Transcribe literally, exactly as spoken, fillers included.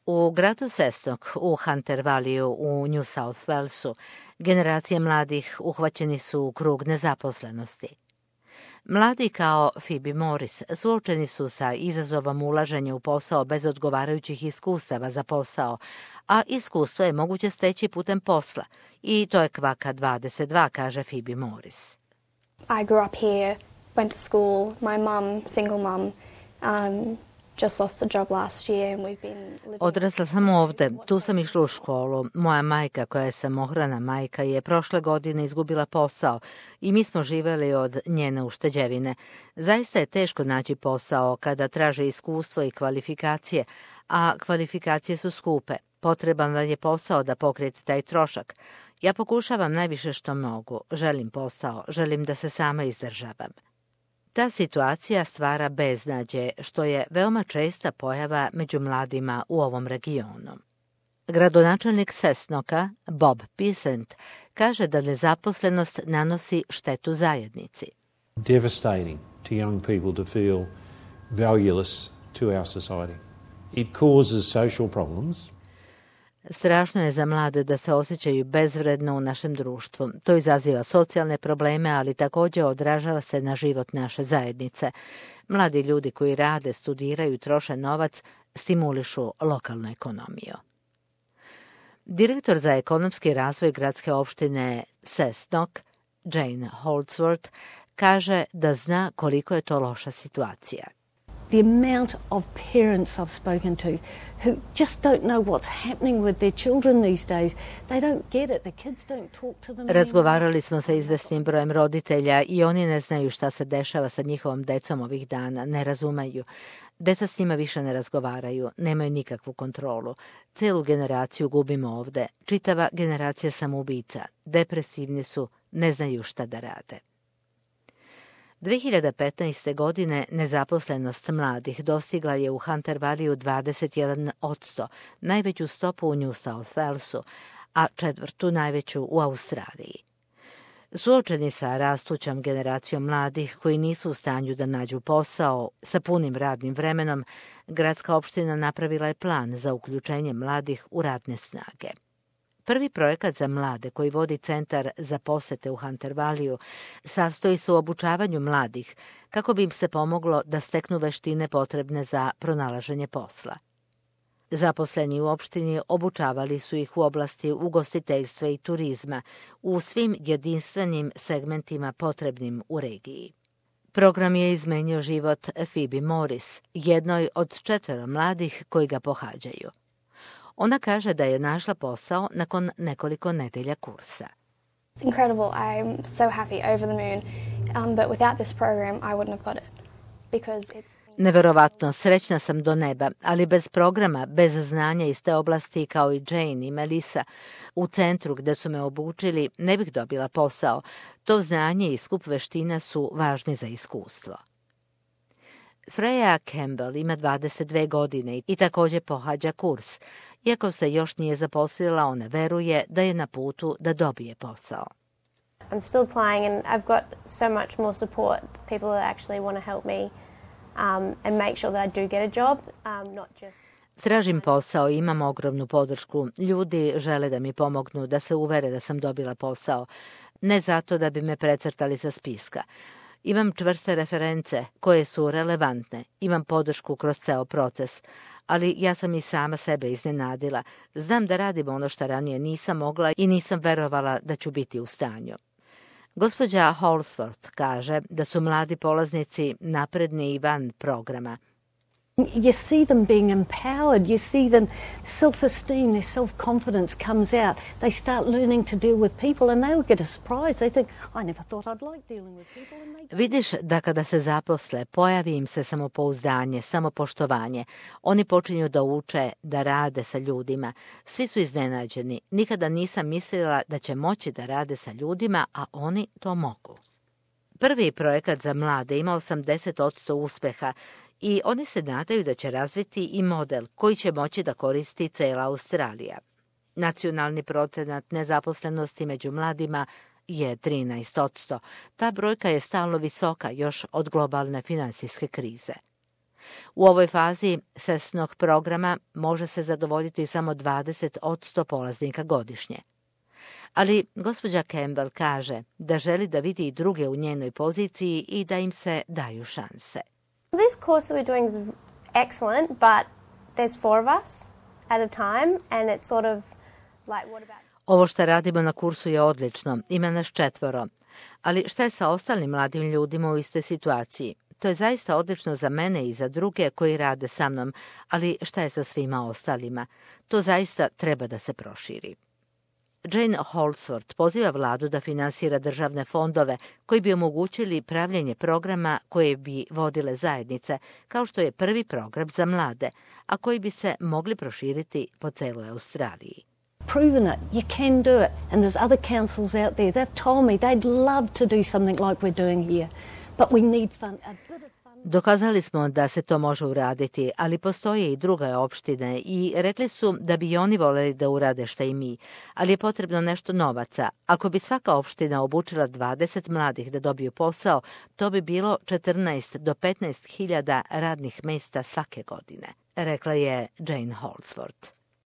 U gradu Cessnock u Hunter Valleyu u New South Walesu generacije mladih uhvaćeni su u krug nezaposlenosti. Mladi kao Phoebe Morris suočeni su sa izazovom ulaženja u posao bez odgovarajućih iskustava za posao, a iskustvo je moguće steći putem posla i to je kvaka dvadeset dva, kaže Phoebe Morris. I grew up here, went to school, my mum, single mum, um, just lost a job last year and we've been living... Odrasla sam ovde, tu sam išla u školu. Moja majka, koja je samohrana majka, je prošle godine izgubila posao i mi smo živeli od njene ušteđevine. Zaista je teško naći posao kada traže iskustvo i kvalifikacije, a kvalifikacije su skupe. Potreban vam je posao da pokrijete taj trošak. Ja pokušavam najviše što mogu. Želim posao, želim da se sama izdržavam. Ta situacija stvara beznađe, što je veoma česta pojava među mladima u ovom regionu. Gradonačelnik Cessnocka, Bob Pisent, kaže da nezaposlenost nanosi štetu zajednici. Devastating to young people to feel valueless to our society. It causes social problems. Strašno je za mlade da se osjećaju bezvredno u našem društvu. To izaziva socijalne probleme, ali također odražava se na život naše zajednice. Mladi ljudi koji rade, studiraju i troše novac stimulišu lokalnu ekonomiju. Direktor za ekonomski razvoj gradske opštine Cessnock, Jane Holdsworth, kaže da zna koliko je to loša situacija. The amount of parents I've spoken to who just don't know what's happening with their children these days. They don't get it. The kids don't talk to them. Razgovarali smo sa izvesnim brojem roditelja i oni ne znaju šta se dešava sa njihovom decom ovih dana, ne razumeju. Deca s njima više ne razgovaraju, nemaju nikakvu kontrolu. Celu generaciju gubimo ovde. Čitava generacija samoubica. Depresivni su, ne znaju šta da rade. dve hiljade petnaeste. godine nezaposlenost mladih dostigla je u Hunter Valleyu dvadeset jedan posto, najveću stopu u New South Walesu, a četvrtu najveću u Australiji. Suočeni sa rastućom generacijom mladih koji nisu u stanju da nađu posao sa punim radnim vremenom, gradska opština napravila je plan za uključenje mladih u radne snage. Prvi projekat za mlade koji vodi Centar za posete u Hunter Valleyu sastoji se u obučavanju mladih kako bi im se pomoglo da steknu veštine potrebne za pronalaženje posla. Zaposleni u opštini obučavali su ih u oblasti ugostiteljstva i turizma u svim jedinstvenim segmentima potrebnim u regiji. Program je izmenio život Phoebe Morris, jednoj od četvero mladih koji ga pohađaju. Ona kaže da je našla posao nakon nekoliko nedelja kursa. It's incredible. I'm so happy, over the moon. Um, but without this program, I wouldn't have got it. Because it's... Neverovatno, srećna sam do neba, ali bez programa, bez znanja iz te oblasti kao i Jane i Melissa, u centru gde su me obučili, ne bih dobila posao. To znanje i skup veština su važni za iskustvo. Freya Campbell ima dvadeset dve godine i također pohađa kurs. Iako se još nije zaposlila, ona veruje da je na putu da dobije posao. I'm still applying and I've got so much more support, people that actually want to help me um, and make sure that I do get a job, um, not just... Tražim posao i imam ogromnu podršku. Ljudi žele da mi pomognu, da se uvere da sam dobila posao. Ne zato da bi me precrtali sa spiska. Imam čvrste reference koje su relevantne. Imam podršku kroz ceo proces. Ali ja sam i sama sebe iznenadila. Znam da radim ono što ranije nisam mogla i nisam verovala da ću biti u stanju. Gospođa Holdsworth kaže da su mladi polaznici napredni i van programa. You see them being empowered. You see them, self-esteem, their self-confidence comes out. They start learning to deal with people and they'll get a surprise. They think, I never thought I'd like dealing with people. And they... Vidiš da kada se zaposle, pojavi im se samopouzdanje, samopoštovanje. Oni počinju da uče, da rade sa ljudima. Svi su iznenađeni. Nikada nisam mislila da će moći da rade sa ljudima, a oni to mogu. Prvi projekat za mlade ima osamdeset posto uspeha, i oni se nadaju da će razviti i model koji će moći da koristi cela Australija. Nacionalni procenat nezaposlenosti među mladima je trinaest posto. Ta brojka je stalno visoka još od globalne finansijske krize. U ovoj fazi S E S N-og programa može se zadovoljiti samo dvadeset odsto polaznika godišnje. Ali gospođa Campbell kaže da želi da vidi i druge u njenoj poziciji i da im se daju šanse. This course that we're doing is excellent, but there's four of us at a time and it's sort of like what about... Ovo što radimo na kursu je odlično, ima nas četvoro. Ali šta je sa ostalim mladim ljudima u istoj situaciji? To je zaista odlično za mene i za druge koji rade sa mnom, ali šta je sa svima ostalima? To zaista treba da se proširi. Jane Holdsworth poziva vladu da finansira državne fondove koji bi omogućili pravljenje programa koje bi vodile zajednice, kao što je prvi program za mlade, a koji bi se mogli proširiti po celoj Australiji. Proven it, you can do it, and there's other councils out there. They've told me they'd love to do something like we're doing here, but we need fun, a bit of fun. Dokazali smo da se to može uraditi, ali postoje i druge opštine i rekli su da bi oni voljeli da urade šta i mi, ali je potrebno nešto novaca. Ako bi svaka opština obučila dvadeset mladih da dobiju posao, to bi bilo četrnaest do petnaest hiljada radnih mesta svake godine, rekla je Jane Holdsworth.